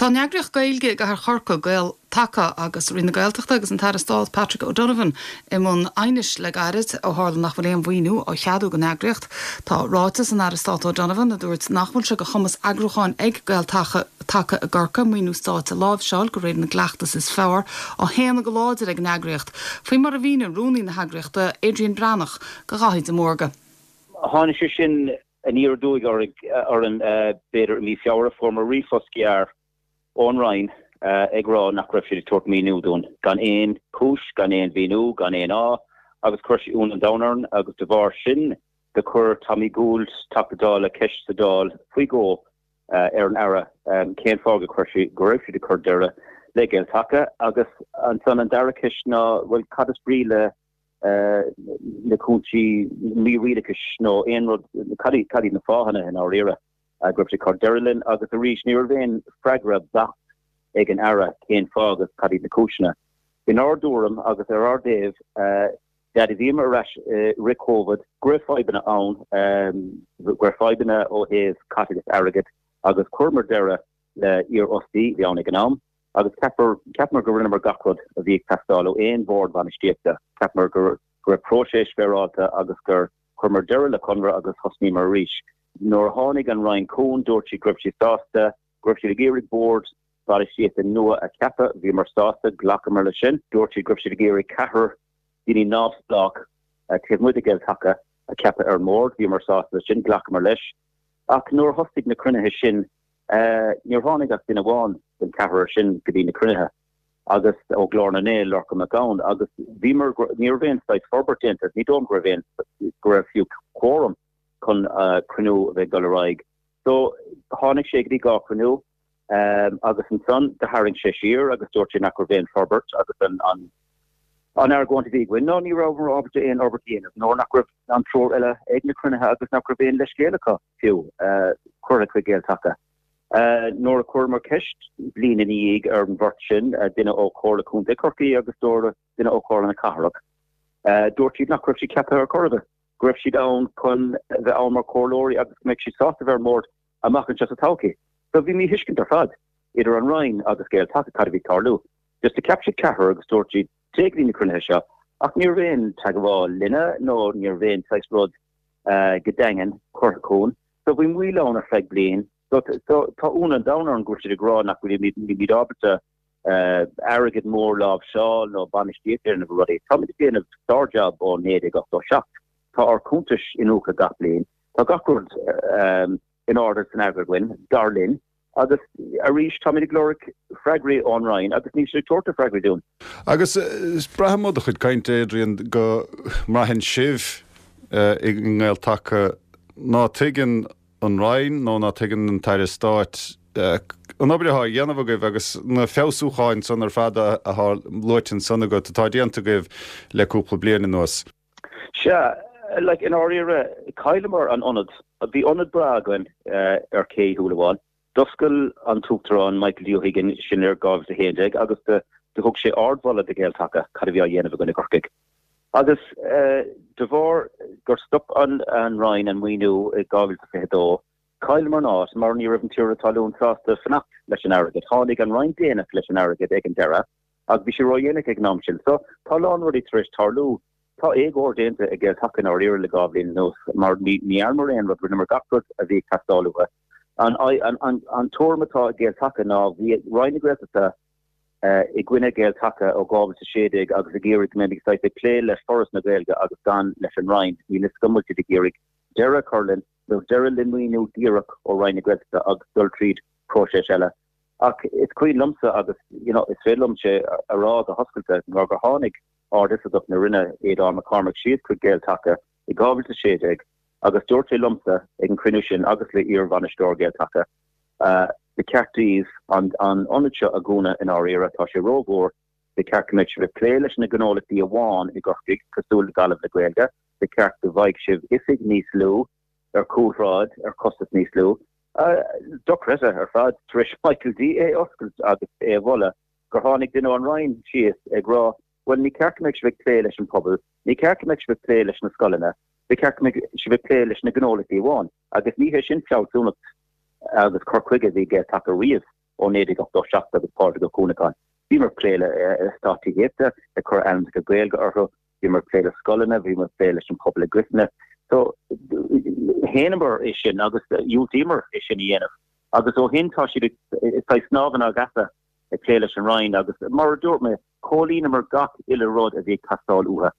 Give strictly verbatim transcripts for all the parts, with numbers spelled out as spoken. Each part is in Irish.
Tá an eagraíocht Gaeilge i gcathair Chorcaí Gael Taca agus Roinn na Gaeltachta agus an tAire Stáit Patrick O'Donovan i mbun aighnis le gairid ó tharla nach bhfuil aon mhaoiniú á cheadú don eagraíocht. Tá ráiteas an Aire Stáit O'Donovan a dúirt nach bhfuil sé de chumas eagrúcháin ag Gael Taca Taca i gCorcaigh maoiniú stáit a láimhseáil de réir na gcleachtas is fearr á shéanadh go láidir ag an eagraíocht. Faoi mar a mhínigh rúnaí na heagraíochta Adrian Breathnach do Dhaithí de Mórdha. Tháinig sé sin aniar aduaidh orainn b'fhéidir mí Feabhra fuaireamar ríomhphost gearr ón Roinn ag rá nach raibh siad ag tabhairt maoiniú dúinn gan aon chúis gan aon mhíniú gan aon fháth agus chuir sé ionadh an domhain orainn agus de bharr sin do chuir Tommy Gould Teachta Dála ceist sa Dáil faoi dhó ar an Aire cén fáth go chuir sí go raibh siad ag cur deireadh le Gael Taca agus ansan an dara ceist ná bhuel cad is brí le na cúinsí mí-rialachais nó aon rud cad iad na fáthanna i ndáiríre go raibh sé cur deireadh linn agus arís ní raibh aon freagra beacht ag an Aire cén fáth agus cad iad na cúiseanna. Inár dtuairim agus ar ár dtaobh de bhíomar ar ais roimh Covid go raibh fadhbanna ann go raibh fadhbanna ó thaobh caiteachas airgid agus chuireamar deireadh le iarfhostaí bhí ann ag an am agus cheapamar go rinneamar gach rud a bhí ag teastáil ó aon bhord bainistíochta cheapamar go raibh próiseas féaráilte agus gur chuireamar deireadh le conradh agus thosnaíomar arís. Nuair a tháinig an Roinn chugainn dúirt siad go raibh siad sásta go raibh siad ag iarraidh bord bainistíochta nua a cheapadh bhíomar sásta ghlacamar leis sin dúirt siad go raibh siad ag iarraidh ceathrar daoine neamhspleách taobh amuigh de Ghael Taca a cheapadh ar an mbord bhíomar sásta sin ghlacamar leis ach nuair a thosaigh na cruinnithe sin níor tháinig ach duine amháin den ceathrar sin go dtí na cruinnithe agus ó Ghlór na nGael Lorcan Mac Gabhann agus bhíomar ní raibh aon saghas forbairt déanta ní dóigh go raibh aon go raibh fiú quorum chun cruinniú a bheith dul ar aghaidh. So tháinig sé go dtí dhá chruinniú um, agus ansan do tharraing sé siar agus dúirt sé nach raibh aon forbairt agus an an an argóint a bhí againn ná ní raibh ábalta aon fhorbairt a dhéanamh nó nach raibh an triúr eile ag na cruinnithe agus nach raibh aon leithscéal acu fiú uh, curtha chuig Gael Taca. Uh, nuair a chuireamar ceist bliain ina dhiaidh ar an bheirt sin uh, duine ó Chomhairle Contae Chorcaí agus dúirt duine ó Chomhairle na Cathrach. Uh, dúirt siad nach raibh siad ceaptha ar chor ar bith. Go raibh siad ann chun bheith ann mar chomhairleoirí agus go mbeadh siad sásta bheith ar an mbord amach anseo sa todhchaí. So bhí míthuiscint ar fad idir an Roinn agus Gael Taca cad a bhí ag tarlú. Just do cheap siad ceathrar agus dúirt siad téigh go dtí na cruinnithe seo ach ní raibh aon teagmháil linne nó ní raibh aon saghas rud uh, go daingean curtha chugainn. So bhí moill ann ar feadh bliain So tá ionadh an domhain orainn go bhfuil siad ag rá nach bhfuilimid ábalta airgead mór láimhseáil nó bainistíocht ar na rudaí. Táimid ag déanamh sár-jab ó naoi déag ochtó seacht. Tá ár cuntais iniúchta gach bliain. Tá gach rud um, in ord san agar againn dar linn agus arís táimid ag lorg freagraí ón Roinn agus níl siad ag tabhairt freagraí dúinn. Agus braithim ó do chuid cainte Adrian go mbraitheann sibh i nGael Taca ná tuigeann an Roinn nó ná tuigeann an tAire Stáit an obair atá á dhéanamh agaibh agus na feabhsúcháin san ar fad atá luaite ansan agat atá déanta agaibh le cúpla bliain anuas. Sea, like in áiríre chailleamar an ionad bhí ionad breá againn uh, ar Ché Shúilleabháin. D'oscail an tUachtarán Michael D. O'Higgins sin ar dhá mhíle a haon déag agus do thug sé ardmholadh do Ghael Taca cad a bhí á dhéanamh againn i gCorcaigh. Agus uh, de bharr gur stop an an Roinn an maoiniú i dhá mhíle fiche dó, chailleamar an áit mar ní raibh an tiarna talún sásta fanacht leis an airgead. Tháinig an Roinn déanach leis an airgead ag an deireadh, agus bhí sé ródhéanach ag an am sin. So tá lán rudaí tar éis tarlú. Tá éagóir déanta ag Gael Taca i ndáiríre le dhá bhliain anuas mar ní dhearnamar aon rud rinneamar gach rud a bhí ag teastáil uathu. An, an, an, an tuairim atá ag Gael Taca ná bhí Roinn na Gaeltachta uh, i gcoinne Gael Taca ó dhá mhíle sé déag agus ag iarraidh go mbeidh ag plé le Foras na Gaeilge agus gan leis an Roinn níl is go bhfuil siad ag iarraidh deireadh a chur linn nó deireadh le maoiniú díreach ó Roinn na Gaeltachta agus dul tríd próiseas eile. Ach is cuimhin liomsa agus you know, is féidir liom sé a rá go hoscailte nuair gur tháinig Ard-Oifigeach na Roinne Aodhán Mac Cormaic síos chuig Gael Taca i dhá mhíle sé déag agus dúirt sé liomsa ag an cruinniú sin agus le iarbhainisteoir Gael Taca. Uh, ba cheart daoibh an an ionad seo a dhúnadh i ndáiríre tá sé rómhór ba cheart go mbeadh sibh ag plé leis na gnólachtaí amháin i gCorcaigh cosúil le Gaillimh le Gaeilge, ba cheart go bhfaigheadh sibh oifig níos lú ar cúlshráid ar costas níos lú. Uh, dochreidte ar fad tar éis Michael D é oscailt agus é a mholadh gur tháinig duine ón Roinn síos ag rá well ní ceart go mbeadh sibh ag plé leis an pobal, ní ceart go mbeadh sibh ag plé leis na scoileanna, ba cheart go mbeadh sibh ag plé leis na gnólachtaí amháin, agus ní hé sin fealsúnacht agus cur chuige bhí Gael Taca riamh. ó naoi déag ochtó seacht agus Pádraig Ó Cuanacháin. Bhíomar ag plé le eastáit tithíochta, ag cur ainmneacha Gaeilge orthu, bhíomar ag plé le scoileanna, bhíomar ag plé leis an pobal i gcoitinne. So shéanamar é sin agus dhiúltaíomar é sin a dhéanamh. Agus ó shin tá siad ag snámh inár gceasa ag plé leis an Roinn agus mar a dúirt mé, chomhlíonamar gach uile rud a bhí ag teastáil uathu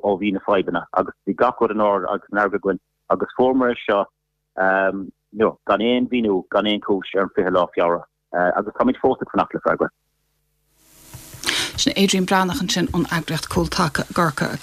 ó bhí na fadhbanna agus bhí gach rud in ord agus in earg againn agus fuaireamar é seo no, gan aon mhíniú, gan aon chúis ar an fiche lá Feabhra agus táimid fós ag fanacht le freagra. Sin Adrian Breathnach ansin ón eagraíocht Cúltaca gCorcaigh.